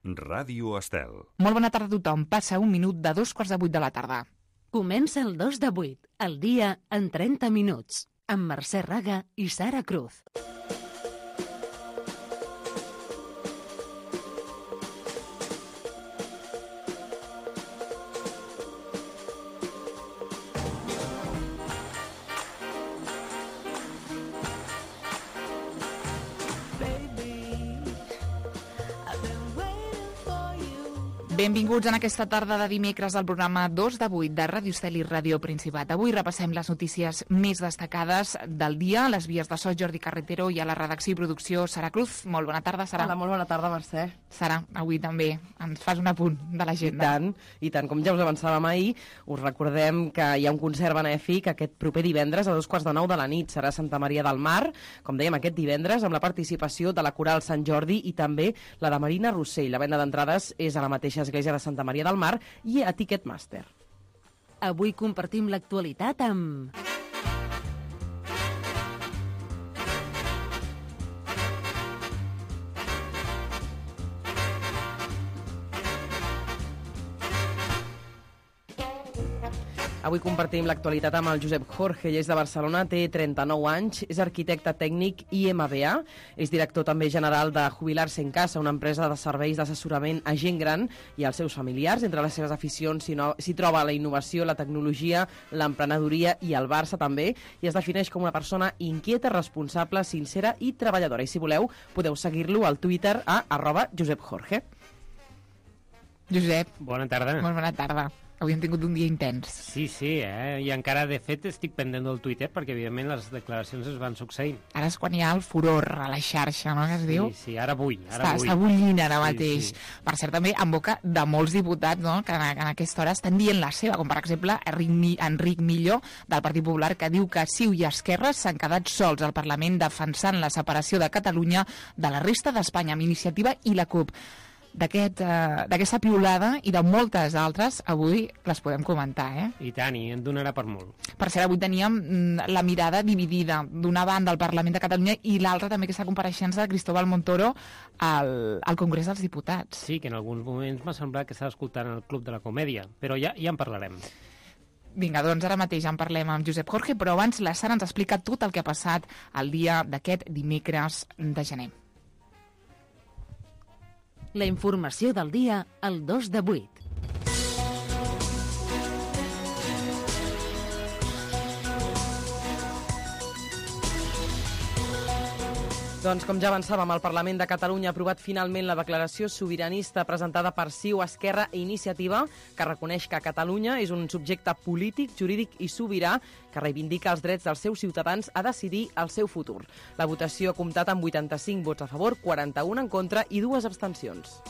Ràdio Estel. Molt bona tarda a tothom. Passa un minut de 7:45 de la tarda. Comença el 2 de 8, el dia en 30 minuts, amb Mercè Raga i Sara Cruz. Benvinguts en aquesta tarda de dimecres al programa 2 de 8 de Ràdio Estel i Ràdio Principat. Avui repassem les notícies més destacades del dia. A les vies de so, Jordi Carretero, i a la redacció i producció, Sara Cruz. Molt bona tarda, Sara. Hola, molt bona tarda, Mercè. Sara, avui també ens fas un apunt de l'agenda. I tant, com ja us avançàvem ahir, us recordem que hi ha un concert benèfic aquest proper divendres a 8:45 de la nit. Serà a Santa Maria del Mar, com dèiem, aquest divendres, amb la participació de la Coral Sant Jordi i també la de Marina Rossell. La venda d'entrades és a la mateixa església de Santa Maria del Mar i a Ticketmaster. Avui compartim l'actualitat amb... Avui compartim l'actualitat amb el Josep Jorge. Ell és de Barcelona, té 39 anys, és arquitecte tècnic IMBA, és director també general de Jubilar-se en Casa, una empresa de serveis d'assessorament a gent gran i als seus familiars. Entre les seves aficions s'hi troba la innovació, la tecnologia, l'emprenedoria i el Barça també, i es defineix com una persona inquieta, responsable, sincera i treballadora. I si voleu, podeu seguir-lo al Twitter a @JosepJorge. Josep. Bona tarda. Molt bona tarda. Avui hem tingut un dia intens. Sí, i encara, de fet, estic pendent del Twitter perquè, evidentment, les declaracions es van succeint. Ara és quan hi ha el furor a la xarxa, no?, que es diu? Sí, ara vull. Està bullint ara mateix. Sí. Per cert, també en boca de molts diputats, no?, que en aquesta hora estan dient la seva, com per exemple Enric Millo, del Partit Popular, que diu que CiU i Esquerra s'han quedat sols al Parlament defensant la separació de Catalunya de la resta d'Espanya, amb Iniciativa i la CUP. D'aquesta piulada i de moltes altres, avui les podem comentar, I tant, i en donarà per molt. Per cert, avui teníem la mirada dividida, d'una banda al Parlament de Catalunya i l'altra també aquesta compareixença de Cristóbal Montoro al Congrés dels Diputats. Sí, que en alguns moments m'ha semblat que estava escoltant el Club de la Comèdia, però ja en parlarem. Vinga, doncs ara mateix en parlem amb Josep Jorge, però abans la Sara ens explica tot el que ha passat el dia d'aquest dimecres de gener. La informació del dia al 2 de 8. Doncs, com ja avançàvem, el Parlament de Catalunya ha aprovat finalment la declaració sobiranista presentada per CiU, Esquerra i Iniciativa, que reconeix que Catalunya és un subjecte polític, jurídic i sobirà que reivindica els drets dels seus ciutadans a decidir el seu futur. La votació ha comptat amb 85 vots a favor, 41 en contra i 2 abstencions.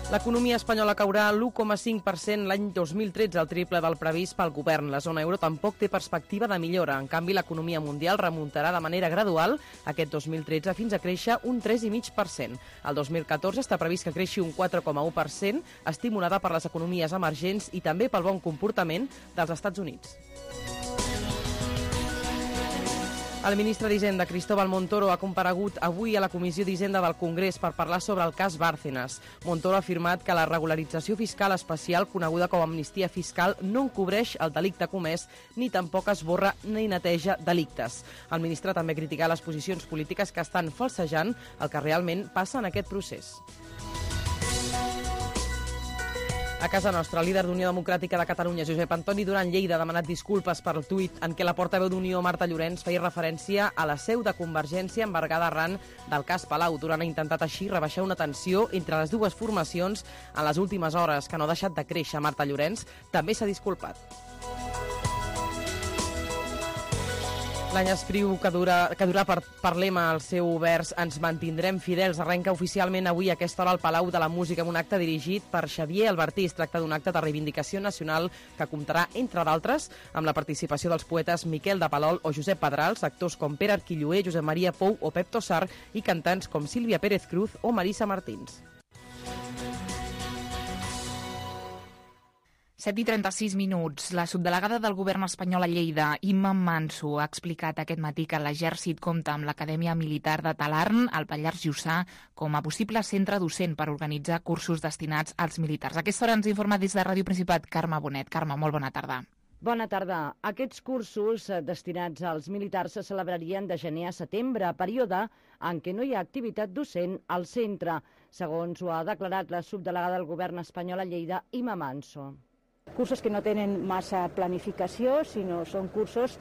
L'economia espanyola caurà l'1,5% l'any 2013, el triple del previst pel govern. La zona euro tampoc té perspectiva de millora. En canvi, l'economia mundial remuntarà de manera gradual aquest 2013 fins a créixer un 3,5%. El 2014 està previst que creixi un 4,1%, estimulada per les economies emergents i també pel bon comportament dels Estats Units. El ministre d'Hisenda, Cristóbal Montoro, ha comparegut avui a la Comissió d'Hisenda del Congrés per parlar sobre el cas Bárcenas. Montoro ha afirmat que la regularització fiscal especial, coneguda com a amnistia fiscal, no encobreix el delicte comès ni tampoc esborra ni neteja delictes. El ministre també ha criticat les posicions polítiques que estan falsejant el que realment passa en aquest procés. A casa nostra, el líder d'Unió Democràtica de Catalunya, Josep Antoni Duran Lleida, ha demanat disculpes per el tuit en què la portaveu d'Unió, Marta Llorens, feia referència a la seu de Convergència embargada arran del cas Palau. Duran ha intentat així rebaixar una tensió entre les dues formacions en les últimes hores, que no ha deixat de créixer. Marta Llorens també s'ha disculpat. L'any espriu que durà per lema el seu vers Ens mantindrem fidels arrenca oficialment avui a aquesta hora al Palau de la Música amb un acte dirigit per Xavier Albertí. Es tracta d'un acte de reivindicació nacional que comptarà, entre d'altres, amb la participació dels poetes Miquel de Palol o Josep Pedrals, actors com Pere Arquilloé, Josep Maria Pou o Pep Tossar i cantants com Sílvia Pérez Cruz o Marisa Martins. 7:36. La subdelegada del govern espanyol a Lleida, Imma Manso, ha explicat aquest matí que l'Exèrcit compta amb l'Acadèmia Militar de Talarn, al Pallars Jussà, com a possible centre docent per organitzar cursos destinats als militars. A aquesta hora ens informa des de Ràdio Principat Carme Bonet. Carme, molt bona tarda. Bona tarda. Aquests cursos destinats als militars se celebrarien de gener a setembre, període en què no hi ha activitat docent al centre, segons ho ha declarat la subdelegada del govern espanyol a Lleida, Imma Manso. Cursos que no tenen massa planificació, sinó són cursos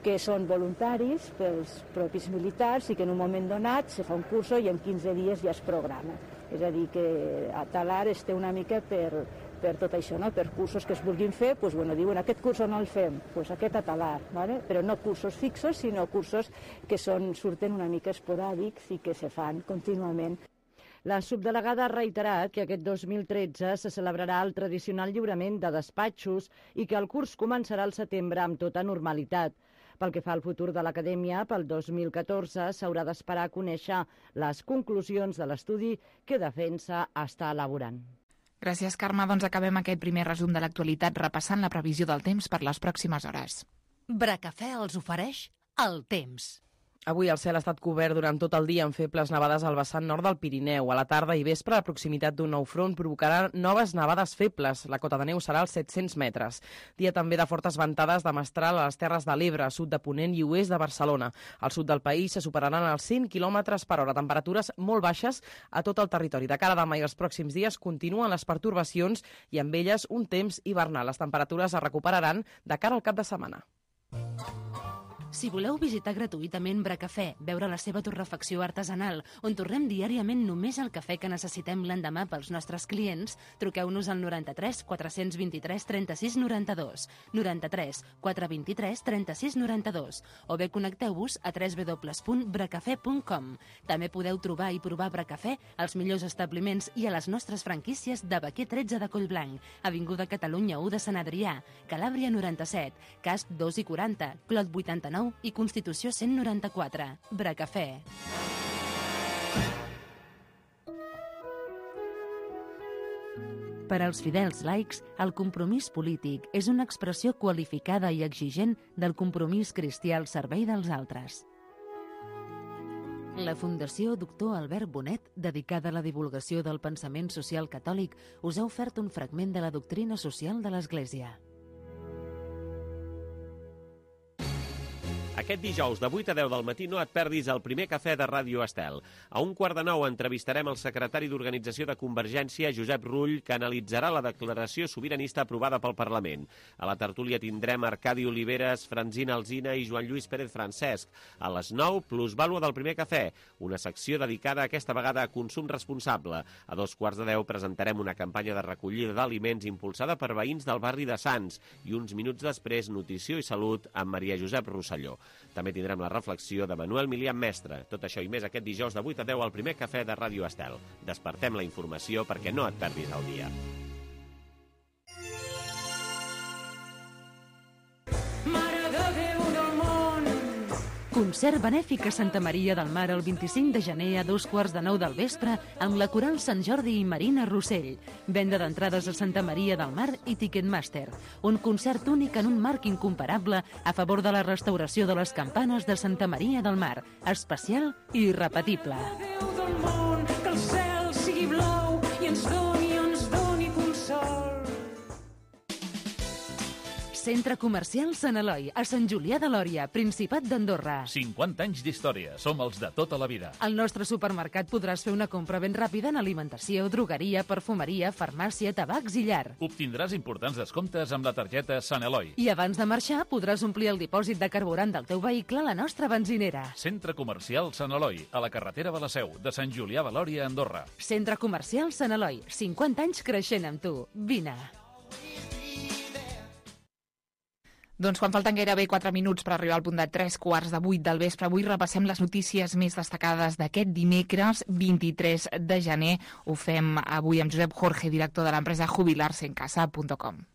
que són voluntaris pels propis militars i que en un moment donat se fa un curs i en 15 dies ja es programa. És a dir, que a Talar es té una mica per tot això, no? Per cursos que es vulguin fer, diuen aquest curs no el fem, aquest a Talar, ¿vale? Però no cursos fixos, sinó cursos que surten una mica esporàdics i que se fan contínuament. La subdelegada ha reiterat que aquest 2013 se celebrarà el tradicional lliurament de despatxos i que el curs començarà al setembre amb tota normalitat. Pel que fa al futur de l'Acadèmia, pel 2014 s'haurà d'esperar a conèixer les conclusions de l'estudi que Defensa està elaborant. Gràcies, Carme. Doncs acabem aquest primer resum de l'actualitat repassant la previsió del temps per les pròximes hores. Bracafè els ofereix el temps. Avui el cel ha estat cobert durant tot el dia amb febles nevades al vessant nord del Pirineu. A la tarda i vespre, la proximitat d'un nou front provocarà noves nevades febles. La cota de neu serà als 700 metres. Dia també de fortes ventades de mestral a les Terres de l'Ebre, sud de Ponent i oest de Barcelona. Al sud del país se superaran els 100 km per hora. Temperatures molt baixes a tot el territori. De cara a demà i els pròxims dies continuen les pertorbacions i amb elles un temps hivernal. Les temperatures es recuperaran de cara al cap de setmana. Si voleu visitar gratuïtament Bracafè, veure la seva torrefacció artesanal, on torrem diàriament només el cafè que necessitem l'endemà pels nostres clients, truqueu-nos al 93 423 36 92, 93 423 36 92, o bé connecteu-vos a www.bracafè.com. També podeu trobar i provar Bracafè als millors establiments i a les nostres franquícies de Baquer 13 de Collblanc, Avinguda Catalunya 1 de Sant Adrià, Calàbria 97, Casp 2 i 40, Clot 89 i Constitució 194. Bracafè. Per als fidels laics, el compromís polític és una expressió qualificada i exigent del compromís cristià al servei dels altres. La Fundació Doctor Albert Bonet, dedicada a la divulgació del pensament social catòlic, us ha ofert un fragment de la doctrina social de l'Església. Aquest dijous de 8 a 10 del matí no et perdis el primer cafè de Ràdio Estel. A 8:45 entrevistarem el secretari d'Organització de Convergència, Josep Rull, que analitzarà la declaració sobiranista aprovada pel Parlament. A la tertúlia tindrem Arcadi Oliveres, Francina Alsina i Joan Lluís Pérez Francesc. A les 9, plusvàlua del primer cafè, una secció dedicada aquesta vegada a consum responsable. A 9:15 presentarem una campanya de recollida d'aliments impulsada per veïns del barri de Sants i uns minuts després, Nutrició i Salut amb Maria Josep Rosselló. També tindrem la reflexió de Manuel Milian Mestre. Tot això i més aquest dijous de 8 a 10 al primer cafè de Ràdio Estel. Despertem la informació perquè no et perdis el dia. Concert benèfic a Santa Maria del Mar el 25 de gener a 8:45 del vespre amb la Coral Sant Jordi i Marina Rossell. Venda d'entrades a Santa Maria del Mar i Ticketmaster. Un concert únic en un marc incomparable a favor de la restauració de les campanes de Santa Maria del Mar. Especial i irrepetible. Que el cel sigui blau i ens doni consol. Centre Comercial Sant Eloi, a Sant Julià de Lòria, Principat d'Andorra. 50 anys d'història, som els de tota la vida. Al nostre supermercat podràs fer una compra ben ràpida en alimentació, drogueria, perfumeria, farmàcia, tabacs i llar. Obtindràs importants descomptes amb la targeta Sant Eloi. I abans de marxar podràs omplir el dipòsit de carburant del teu vehicle a la nostra benzinera. Centre Comercial Sant Eloi, a la carretera de la Seu, de Sant Julià de Lòria, Andorra. Centre Comercial Sant Eloi, 50 anys creixent amb tu. Vine. Doncs quan falten gairebé 4 minuts per arribar al punt de 7:45 del vespre, avui repassem les notícies més destacades d'aquest dimecres 23 de gener. Ho fem avui amb Josep Jorge, director de l'empresa jubilarsencasa.com.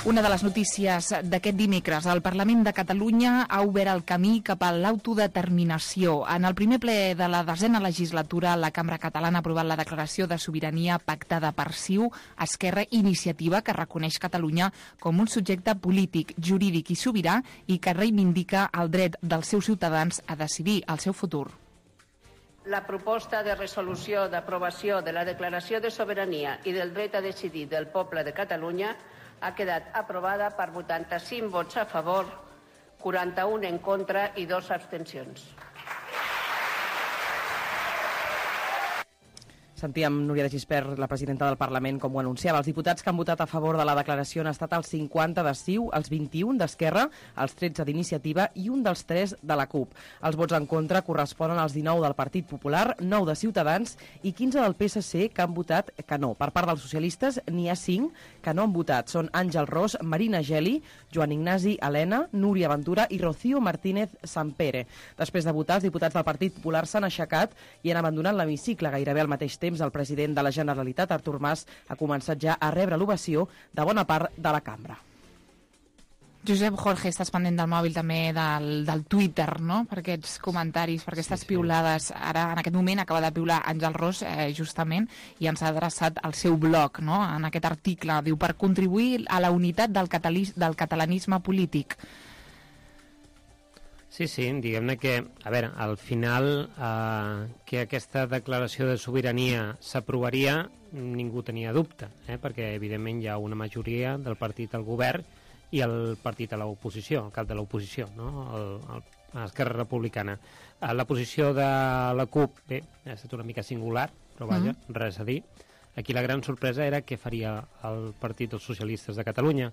Una de les notícies d'aquest dimecres, el Parlament de Catalunya ha obert el camí cap a l'autodeterminació. En el primer ple de la 10a legislatura, la Cambra Catalana ha aprovat la declaració de sobirania pactada per CiU, Esquerra, Iniciativa, que reconeix Catalunya com un subjecte polític, jurídic i sobirà i que reivindica el dret dels seus ciutadans a decidir el seu futur. La proposta de resolució d'aprovació de la Declaració de Sobirania i del Dret a Decidir del Poble de Catalunya ha quedat aprovada per 85 vots a favor, 41 en contra i 2 abstencions. Sentíem Núria de Gispert, la presidenta del Parlament, com ho anunciava. Els diputats que han votat a favor de la declaració han estat els 50 de CiU, els 21 d'Esquerra, els 13 d'Iniciativa i un dels 3 de la CUP. Els vots en contra corresponen als 19 del Partit Popular, 9 de Ciutadans i 15 del PSC que han votat que no. Per part dels socialistes n'hi ha 5 que no han votat. Són Àngel Ros, Marina Geli, Joan Ignasi Helena, Núria Ventura i Rocío Martínez Sampere. Després de votar, els diputats del Partit Popular s'han aixecat i han abandonat l'hemicicle gairebé al mateix temps. El president de la Generalitat, Artur Mas, ha començat ja a rebre l'ovació de bona part de la cambra. Josep Jorge, estàs pendent del mòbil també del Twitter, no?, per aquests comentaris, per aquestes piulades. Ara, en aquest moment, acaba de piular Àngel Ros, justament, i ens ha adreçat al seu blog, no?, en aquest article. Diu, per contribuir a la unitat del catalanisme polític. Sí, diguem-ne que, a veure, al final que aquesta declaració de sobirania s'aprovaria, ningú tenia dubte, perquè evidentment hi ha una majoria del partit al govern i el partit a l'oposició, el cap de l'oposició, no? Esquerra Republicana. La posició de la CUP, bé, ha estat una mica singular, però vaja, res a dir. Aquí la gran sorpresa era què faria el Partit dels Socialistes de Catalunya,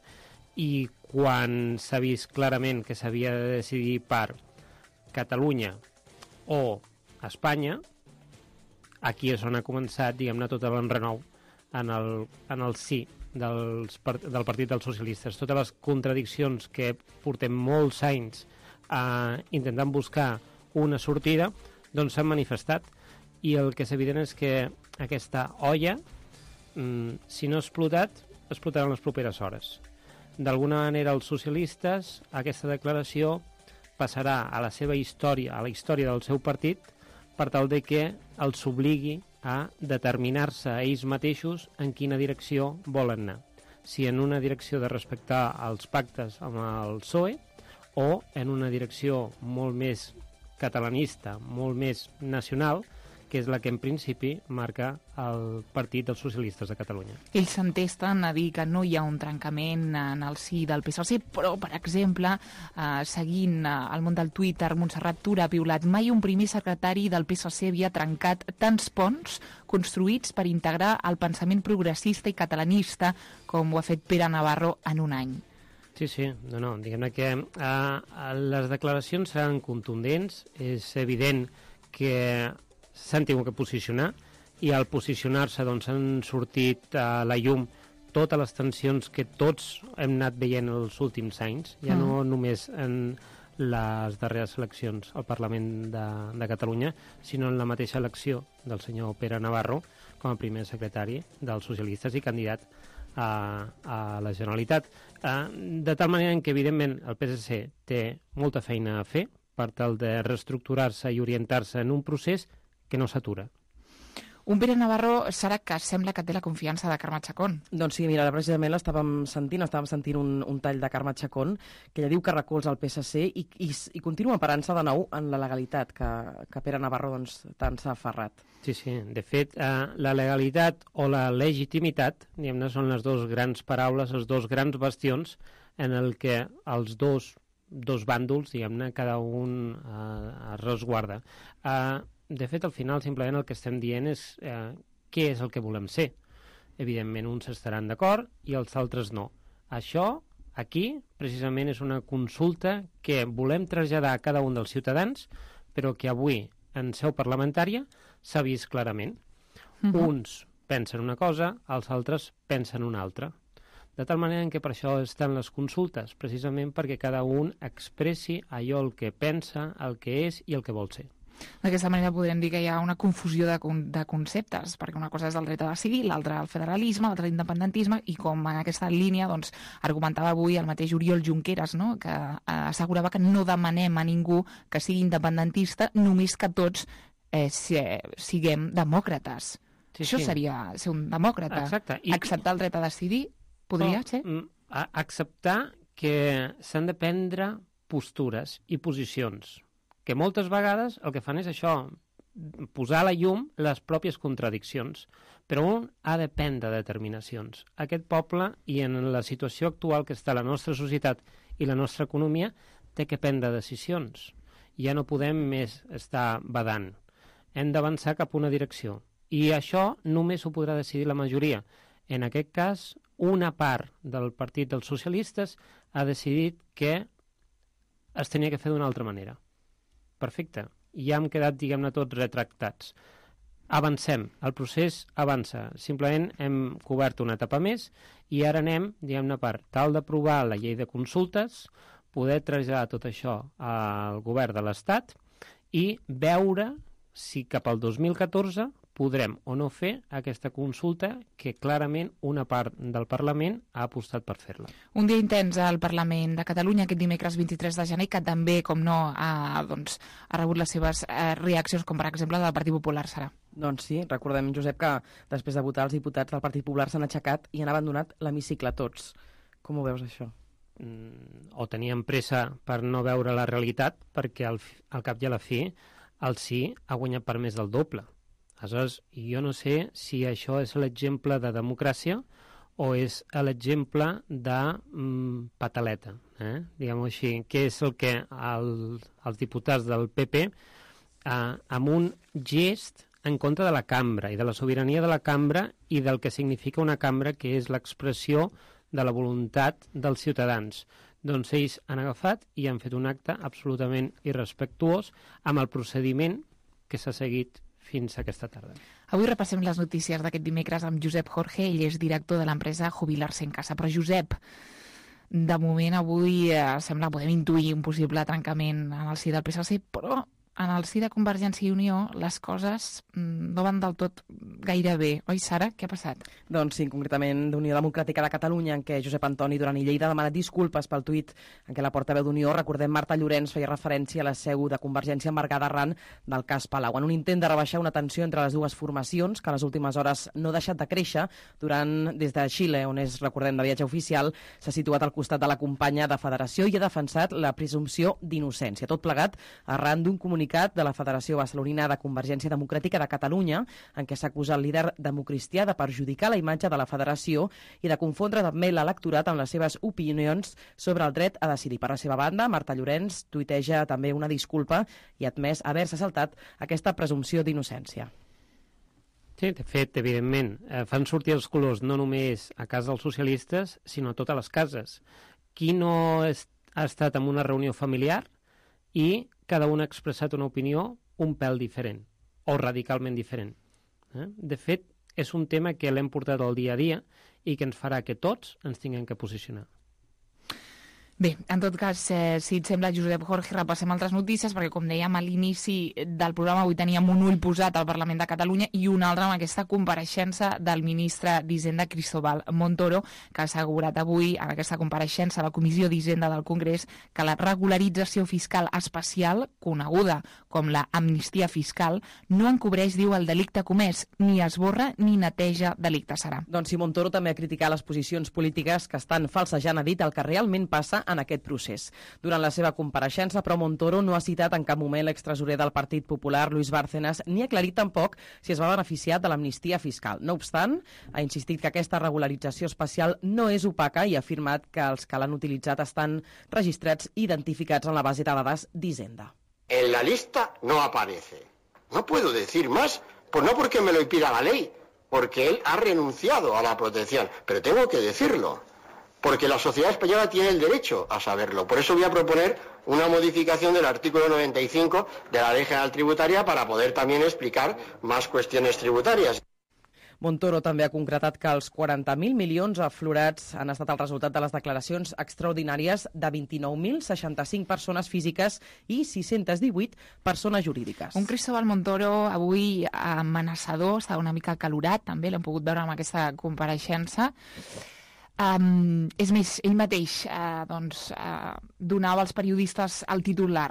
i quan s'ha vist clarament que s'havia de decidir per Catalunya o Espanya, aquí és on ha començat, diguem-ne, tot l'enrenou en el sí del Partit dels Socialistes. Totes les contradiccions que portem molts anys intentant buscar una sortida, doncs s'han manifestat, i el que és evident és que aquesta olla, si no ha explotat, explotarà en les properes hores. D'alguna manera, els socialistes, aquesta declaració passarà a la seva història, a la història del seu partit, per tal de que els obligui a determinar-se a ells mateixos en quina direcció volen anar. Si en una direcció de respectar els pactes amb el PSOE o en una direcció molt més catalanista, molt més nacional, que és la que en principi marca el Partit dels Socialistes de Catalunya. Ells s'entesten a dir que no hi ha un trencament en el si del PSC, però, per exemple, seguint el món del Twitter, Montserrat Tura ha piulat: mai un primer secretari del PSC havia trencat tants ponts construïts per integrar el pensament progressista i catalanista com ho ha fet Pere Navarro en un any. Sí, no, diguem-ne que les declaracions seran contundents, és evident que s'han tingut que posicionar, i al posicionar-se doncs han sortit a la llum totes les tensions que tots hem anat veient els últims anys, ja no només en les darreres eleccions al Parlament de Catalunya, sinó en la mateixa elecció del senyor Pere Navarro com a primer secretari dels socialistes i candidat a la Generalitat. De tal manera que, evidentment, el PSC té molta feina a fer per tal de reestructurar-se i orientar-se en un procés que no s'atura. Un Pere Navarro, Sara, que sembla que té la confiança de Carme Chacón. Doncs sí, mira, precisament l'estàvem sentint un tall de Carme Chacón, que ella diu que recolza el PSC i continua parant-se de nou en la legalitat, que Pere Navarro doncs, tant s'ha aferrat. Sí, de fet, la legalitat o la legitimitat, diguem-ne, són les dues grans paraules, els dos grans bastions en el que els dos bàndols, diguem-ne, cada un es resguarda. De fet, al final, simplement el que estem dient és què és el que volem ser. Evidentment, uns estaran d'acord i els altres no. Això, aquí, precisament, és una consulta que volem traslladar a cada un dels ciutadans, però que avui, en seu parlamentària, s'ha vist clarament. Uns pensen una cosa, els altres pensen una altra. De tal manera que per això estan les consultes, precisament perquè cada un expressi allò el que pensa, el que és i el que vol ser. D'aquesta manera podríem dir que hi ha una confusió de conceptes, perquè una cosa és el dret a decidir, l'altra el federalisme, l'altre l'independentisme, i com en aquesta línia doncs, argumentava avui el mateix Oriol Junqueras, no? Que assegurava que no demanem a ningú que sigui independentista, només que tots siguem demòcrates. Sí, això seria ser un demòcrata. Exacte. Acceptar el dret a decidir podria ser? Acceptar que s'han de prendre postures i posicions, que moltes vegades el que fan és això, posar a la llum les pròpies contradiccions, però un ha de prendre determinacions. Aquest poble, i en la situació actual que està la nostra societat i la nostra economia, té que prendre decisions. Ja no podem més estar badant. Hem d'avançar cap a una direcció. I això només ho podrà decidir la majoria. En aquest cas, una part del Partit dels Socialistes ha decidit que es tenia que fer d'una altra manera. Perfecte. Ja hem quedat, diguem-ne, tots retractats. Avancem. El procés avança. Simplement hem cobert una etapa més i ara anem, diguem-ne, per tal d'aprovar la llei de consultes, poder traslladar tot això al govern de l'Estat i veure si cap al 2014 podrem o no fer aquesta consulta que clarament una part del Parlament ha apostat per fer-la. Un dia intens al Parlament de Catalunya aquest dimecres 23 de gener, que també, com no, ha rebut les seves reaccions, com per exemple del Partit Popular, Sara. Doncs sí, recordem, Josep, que després de votar els diputats del Partit Popular s'han aixecat i han abandonat l'hemicicle tots. Com ho veus, això? O tenien pressa per no veure la realitat, perquè al cap i a la fi el sí ha guanyat per més del doble. Aleshores, jo no sé si això és l'exemple de democràcia o és l'exemple de pataleta, diguem-ho així, que és el que els diputats del PP, amb un gest en contra de la cambra i de la sobirania de la cambra i del que significa una cambra, que és l'expressió de la voluntat dels ciutadans. Doncs ells han agafat i han fet un acte absolutament irrespectuós amb el procediment que s'ha seguit fins aquesta tarda. Avui repassem les notícies d'aquest dimecres amb Josep Jorge, ell és director de l'empresa Jubilar-se en Casa. Però Josep, de moment avui sembla podem intuir un possible trencament en el si del PSC, però en el si de Convergència i Unió les coses no van del tot gaire bé. Oi, Sara? Què ha passat? Doncs sí, concretament d'Unió Democràtica de Catalunya, en què Josep Antoni Duran i Lleida ha demanat disculpes pel tuit en què la portaveu d'Unió, recordem, Marta Llorenç, feia referència a la seu de Convergència embargada arran del cas Palau, en un intent de rebaixar una tensió entre les dues formacions que a les últimes hores no ha deixat de créixer des de Xile, on és, recordem, de viatge oficial, s'ha situat al costat de la companya de Federació i ha defensat la presumpció d'innocència. Tot plegat arran d'un comunicat de la Federació Barcelonina de Convergència Democràtica de Catalunya, en què s'acusa el líder democristià de perjudicar la imatge de la Federació i de confondre també l'electorat amb les seves opinions sobre el dret a decidir. Per la seva banda, Marta Llorenç tuiteja també una disculpa i ha admès haver-se saltat aquesta presumpció d'innocència. Sí, de fet, evidentment, fan sortir els colors no només a casa dels socialistes, sinó a totes les cases. Qui no ha estat en una reunió familiar i cada un ha expressat una opinió un pèl diferent o radicalment diferent. De fet, és un tema que l'hem portat al dia a dia i que ens farà que tots ens tinguem que posicionar. Bé, en tot cas, si et sembla, Josep Jorge, repassem altres notícies, perquè, com dèiem a l'inici del programa, avui teníem un ull posat al Parlament de Catalunya i un altre amb aquesta compareixença del ministre d'Hisenda, Cristóbal Montoro, que ha assegurat avui, en aquesta compareixença a la Comissió d'Hisenda del Congrés, que la regularització fiscal especial, coneguda com la amnistia fiscal, no encobreix, diu, el delicte comès, ni esborra ni neteja delicte, Sara. Doncs si Montoro també ha criticat les posicions polítiques que estan falsejant, ha dit el que realment passa en aquest procés. Durant la seva compareixença, però, Montoro no ha citat en cap moment l'extresorer del Partit Popular, Luis Bárcenas, ni ha aclarit tampoc si es va beneficiar de l'amnistia fiscal. No obstant, ha insistit que aquesta regularització especial no és opaca i ha afirmat que els que l'han utilitzat estan registrats i identificats en la base de dades d'Hisenda. En la lista no aparece. No puedo decir más, pues no porque me lo impida la ley, porque él ha renunciado a la protección, pero tengo que decirlo. Porque la sociedad española tiene el derecho a saberlo. Por eso voy a proponer una modificación del artículo 95 de la Ley General Tributaria para poder también explicar más cuestiones tributarias. Montoro també ha concretat que els 40.000 milions aflorats han estat el resultat de les declaracions extraordinàries de 29.065 persones físiques i 618 persones jurídiques. Un Cristóbal Montoro avui amenaçador, està una mica acalorat, també l'hem pogut veure amb aquesta compareixença. És més, ell mateix donava als periodistes el titular.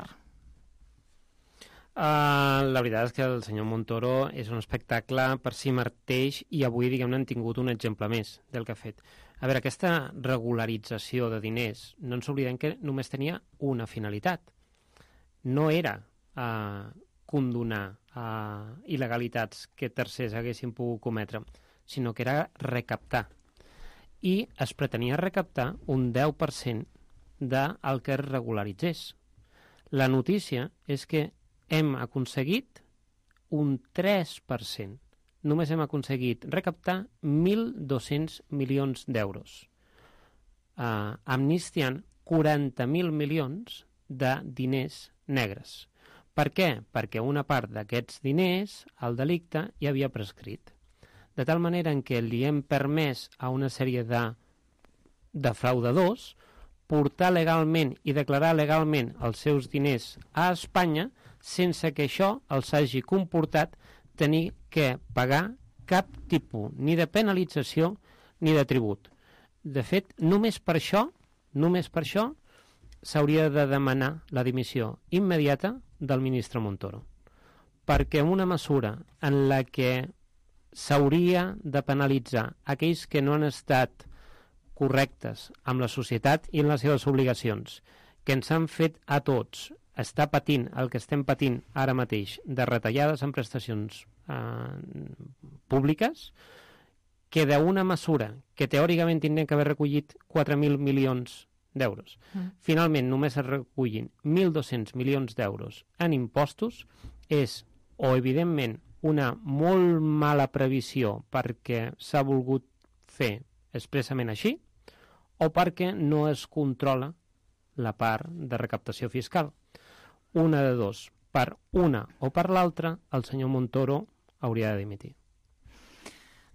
La veritat és que el senyor Montoro és un espectacle per si mateix i avui, diguem-ne, han tingut un exemple més del que ha fet. A veure, aquesta regularització de diners, no ens oblidem que només tenia una finalitat. No era condonar il·legalitats que tercers haguessin pogut cometre, sinó que era recaptar. I es pretenia recaptar un 10% del que es regularitzés. La notícia és que hem aconseguit un 3%. Només hem aconseguit recaptar 1.200 milions d'euros, amnistiant 40.000 milions de diners negres. Per què? Perquè una part d'aquests diners, el delicte, ja havia prescrit. De tal manera en què li hem permès a una sèrie de defraudadors portar legalment i declarar legalment els seus diners a Espanya sense que això els hagi comportat tenir que pagar cap tipus ni de penalització ni de tribut. De fet, només per això s'hauria de demanar la dimissió immediata del ministre Montoro. Perquè una mesura en la que s'hauria de penalitzar aquells que no han estat correctes amb la societat i en les seves obligacions, que ens han fet a tots estar patint el que estem patint ara mateix de retallades en prestacions públiques, que d'una mesura que teòricament tindria que haver recollit 4.000 milions d'euros. Finalment, només es recullin 1.200 milions d'euros en impostos, és o evidentment una molt mala previsió perquè s'ha volgut fer expressament així, o perquè no es controla la part de recaptació fiscal. Una de dos. Per una o per l'altra, el senyor Montoro hauria de dimitir.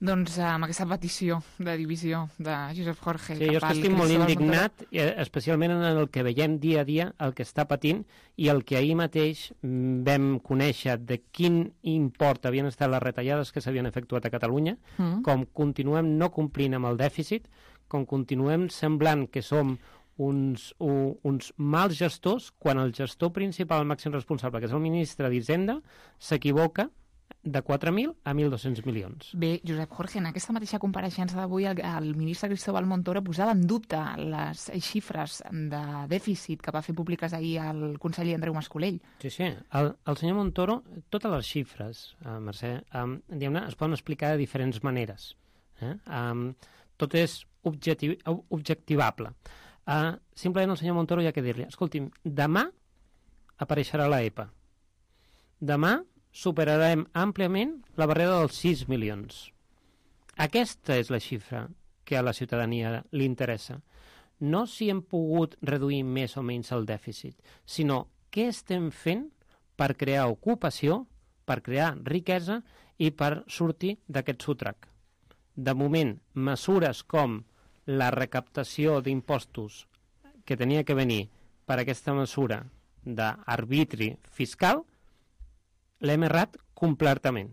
Doncs amb aquesta petició de divisió de Josep Jorge... Sí, jo estic molt indignat, especialment en el que veiem dia a dia, el que està patint i el que ahir mateix vam conèixer de quin import havien estat les retallades que s'havien efectuat a Catalunya, com continuem no complint amb el dèficit, com continuem semblant que som uns mals gestors, quan el gestor principal, el màxim responsable, que és el ministre d'Hisenda, s'equivoca de 4.000 a 1.200 milions. Bé, Josep Jorge, en aquesta mateixa compareixença d'avui el ministre Cristóbal Montoro posava en dubte les xifres de dèficit que va fer públiques ahir el conseller Andreu Mas-Colell. Sí. El senyor Montoro, totes les xifres, Mercè, diguem-ne, es poden explicar de diferents maneres. Tot és objectivable. Simplement el senyor Montoro hi ha que dir-li, escolti'm, demà apareixerà la EPA. Demà superarem àmpliament la barrera dels 6 milions. Aquesta és la xifra que a la ciutadania li interessa. No si hem pogut reduir més o menys el dèficit, sinó què estem fent per crear ocupació, per crear riquesa i per sortir d'aquest sotrac. De moment, mesures com la recaptació d'impostos que tenia que venir per aquesta mesura d'arbitri fiscal, l'hem errat completament.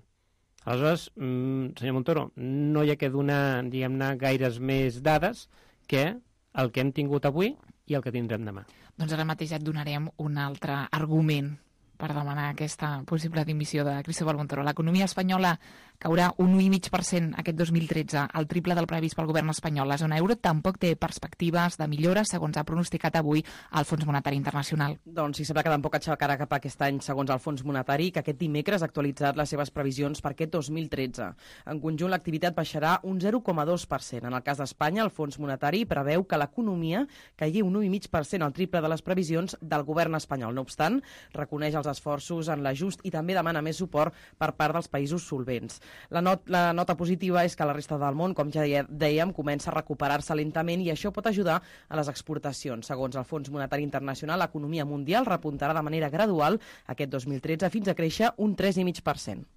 Aleshores, senyor Montoro, no hi ha que donar, diguem-ne, gaires més dades que el que hem tingut avui i el que tindrem demà. Doncs ara mateix et donarem un altre argument per demanar aquesta possible dimissió de Cristóbal Montoro. L'economia espanyola caurà un 1,5% aquest 2013, el triple del previst pel govern espanyol. La zona euro tampoc té perspectives de millora, segons ha pronosticat avui el Fons Monetari Internacional. Doncs sí, sembla que tampoc aixecarà cap aquest any, segons el Fons Monetari, que aquest dimecres ha actualitzat les seves previsions per aquest 2013. En conjunt, l'activitat baixarà un 0,2%. En el cas d'Espanya, el Fons Monetari preveu que l'economia caigui un 1,5%, el triple de les previsions del govern espanyol. No obstant, reconeix els esforços en l'ajust i també demana més suport per part dels països solvents. La nota positiva és que la resta del món, com ja dèiem, comença a recuperar-se lentament i això pot ajudar a les exportacions. Segons el Fons Monetari Internacional, l'economia mundial repuntarà de manera gradual aquest 2013 fins a créixer un 3,5%.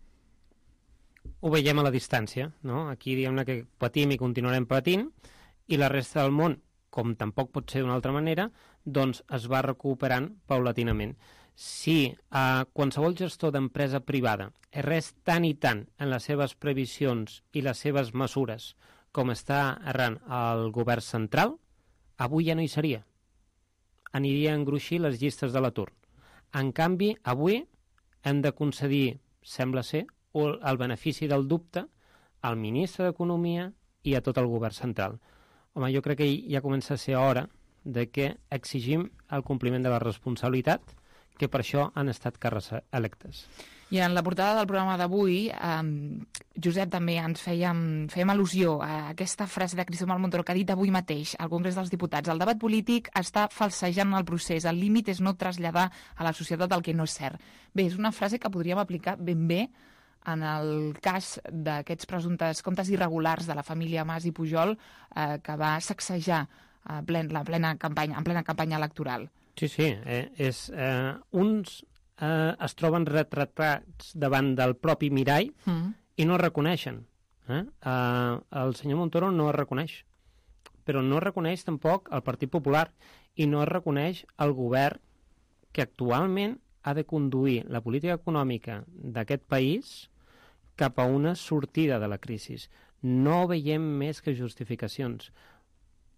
ho veiem a la distància, no? Aquí diguem-ne que patim i continuarem patint, i la resta del món, com tampoc pot ser d'una altra manera, doncs es va recuperant paulatinament. Si qualsevol gestor d'empresa privada errés tant i tant en les seves previsions i les seves mesures com està errant el govern central, avui ja no hi seria. Aniria a engruixir les llistes de l'atur. En canvi, avui hem de concedir, sembla ser, el benefici del dubte al ministre d'Economia i a tot el govern central. Home, jo crec que ja comença a ser hora de que exigim el compliment de la responsabilitat, que per això han estat càrrecs electes. I en la portada del programa d'avui, Josep, també ens fèiem al·lusió a aquesta frase de Cristóbal Montoro que ha dit avui mateix al Congrés dels Diputats. El debat polític està falsejant el procés. El límit és no traslladar a la societat el que no és cert. Bé, és una frase que podríem aplicar ben bé en el cas d'aquests presumptes comptes irregulars de la família Mas i Pujol que va sacsejar en plena campanya electoral. Sí, uns es troben retratats davant del propi mirall i no es reconeixen. El senyor Montoro no es reconeix, però no es reconeix tampoc el Partit Popular i no es reconeix el govern que actualment ha de conduir la política econòmica d'aquest país cap a una sortida de la crisi. No veiem més que justificacions.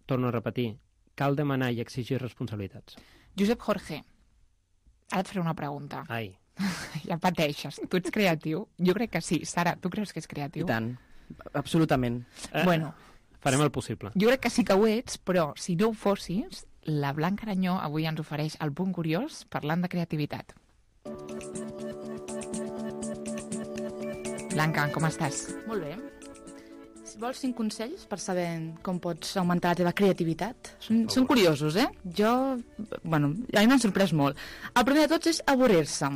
Torno a repetir, cal demanar i exigir responsabilitats. Josep Jorge, ara et faré una pregunta. Ai. Ja pateixes. Tu ets creatiu? Jo crec que sí. Sara, tu creus que és creatiu? I tant. Absolutament. Bueno, farem el possible. Jo crec que sí que ho ets, però si no ho fossis, la Blanca Aranyó avui ens ofereix el punt curiós parlant de creativitat. Blanca, com estàs? Molt bé. Si vols 5 consells per saber com pots augmentar la teva creativitat, són curiosos, a mi m'han sorprès molt. El primer de tots és avorrir-se.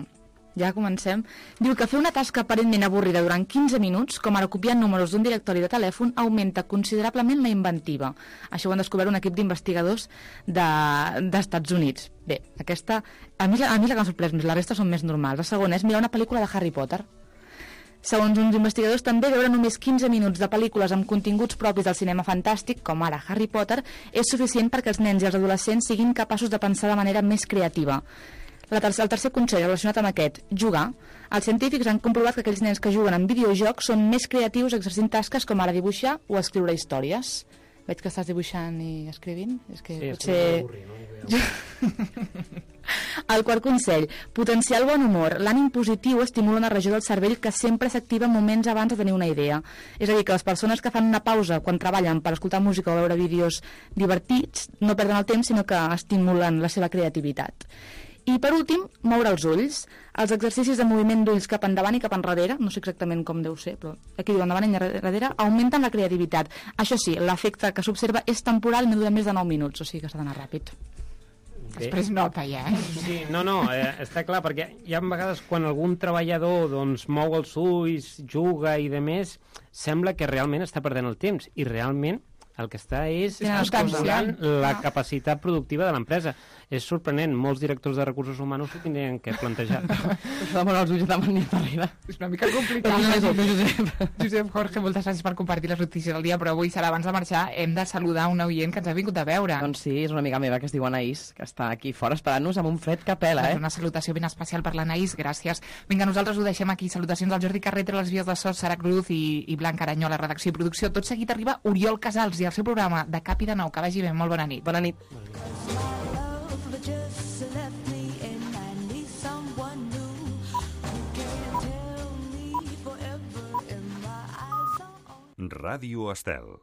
Ja comencem. Diu que fer una tasca aparentment avorrida durant 15 minuts, com ara copiar números d'un directori de telèfon, augmenta considerablement la inventiva. Això ho han descobert un equip d'investigadors d'Estats Units. Bé, aquesta, a mi la que m'ha sorprès més, la resta són més normals. La segona és mirar una pel·lícula de Harry Potter. Segons uns investigadors, també veure només 15 minuts de pel·lícules amb continguts propis del cinema fantàstic, com ara Harry Potter, és suficient perquè els nens i els adolescents siguin capaços de pensar de manera més creativa. El tercer consell relacionat amb aquest, jugar. Els científics han comprovat que aquells nens que juguen en videojocs són més creatius exercint tasques com ara dibuixar o escriure històries. Veig que estàs dibuixant i escrivint. És que sí, potser... El quart consell, potenciar el bon humor. L'ànim positiu estimula una regió del cervell que sempre s'activa moments abans de tenir una idea. És a dir, que les persones que fan una pausa quan treballen per escoltar música o veure vídeos divertits no perden el temps, sinó que estimulen la seva creativitat. I per últim, moure els ulls. Els exercicis de moviment d'ulls cap endavant i cap enrere, no sé exactament com deu ser, però aquí diu endavant i enrere, augmenten la creativitat. Això sí, l'efecte que s'observa és temporal i no dura més de 9 minuts, o sigui que s'ha d'anar ràpid. Després nota ja, Sí, està clar, perquè hi ha vegades quan algun treballador doncs, mou els ulls, juga i de més, sembla que realment està perdent el temps, i realment el que està és escurçant la capacitat productiva de l'empresa. És sorprenent, molts directors de recursos humans ho tindrien que plantejar. Això de moure els ulls de manera darrere. És una mica complicat. Josep Jorge, moltes gràcies per compartir les notícies del dia, però avui, Sara, abans de marxar, hem de saludar un oient que ens ha vingut a veure. Doncs sí, és una amiga meva que es diu Anaïs, que està aquí fora esperant-nos amb un fred que pela, Una salutació ben especial per l'Anaïs, gràcies. Vinga, nosaltres ho deixem aquí. Salutacions al Jordi Carreter, a les vies de so, Sara Cruz i Blanca Aranyó a la redacció i producció. Tot seguit arriba Oriol Casals i el seu programa de Cap i de Nou. Que vagi bé, molt bona nit. Bona nit. Ràdio Estel.